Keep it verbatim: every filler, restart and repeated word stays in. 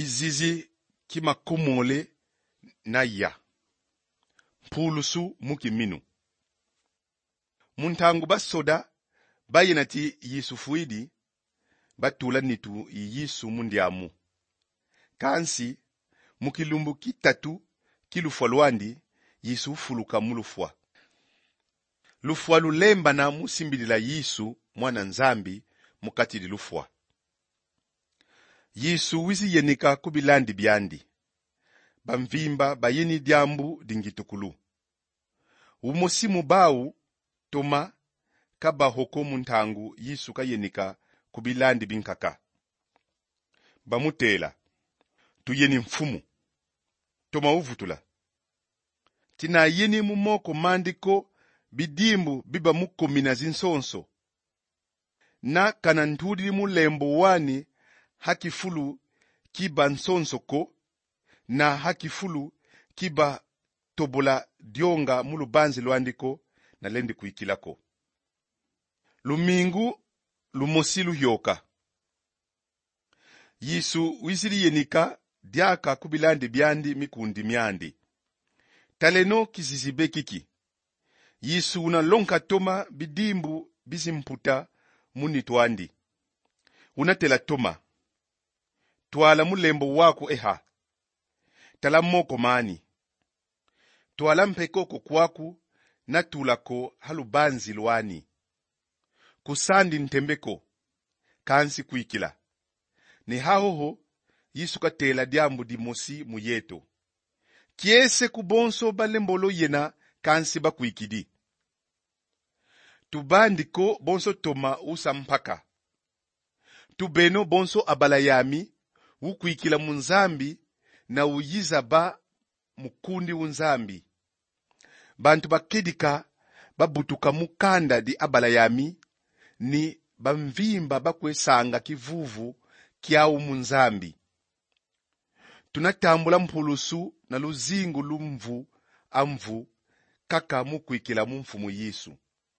Kizizi ki makomole na ya. Mpulusu mu kiminu. Mu ntangu basoda bayena ti Yesu fwidi, batula nitu yi Yesu mu ndiamu. Kansi, mu kilumbu ki tatu ki lufwa lwandi, Yesu ufuluka mu lufwa. Lufwa lulembana mu simbidila Yesu, Mwana Nzambi, mu kati di lufwa. Yesu wizi yenika ku bilandi biandi. Bamvimba bayeni diambu di ngitukulu. Umosi mu bau, Toma, ka baho ko mu ntangu Yesu kayenika ku bilandi binkaka. Bamutela: "Tuyeni Mfumu." Toma uvutula: "Ti nayeni mu moko mandi ko bidimbu biba mu komina zinsonso, na ka nantudidi mu lembo wani ha kifulu ki bansonso ko, na ha kifulu ki batobola dionga mu lubanzi lwandi ko, nalendi kwikila ko." Lumingu lumosi luyôka, Yesu wizidi yenika diaka ku bilandi biandi mikundi miandi. Taleno kizizi be kiki. Yesu una lonka Toma bidimbu bizi mputa mu nitu andi. Una tela Toma: "Twala mu lembo waku eha. Tala moko mani. Twala mpe koko kwaku, natula ko ha lubanzi lwani. Kusandi ntembe ko, kansi kwikila." Ni hahoho, Yesu katela diambu dimosi mu yeto. Kiese ku bonso balembolo yena, kansi bakwikidi. Tubandi ko bonso Toma usa mpaka. Tubeno bonso abala yami, ukwikila mu Nzambi, na uyiza ba mukundi u Nzambi. Bantu bakedika babutuka mu kanda di abala yami, ni bamvimba bakwe sanga kivuvu kiau mu Nzambi. Tuna tambula mpulusu na luzingu lu mvu a mvu kaka mu kwikila mu Mfumu Yesu.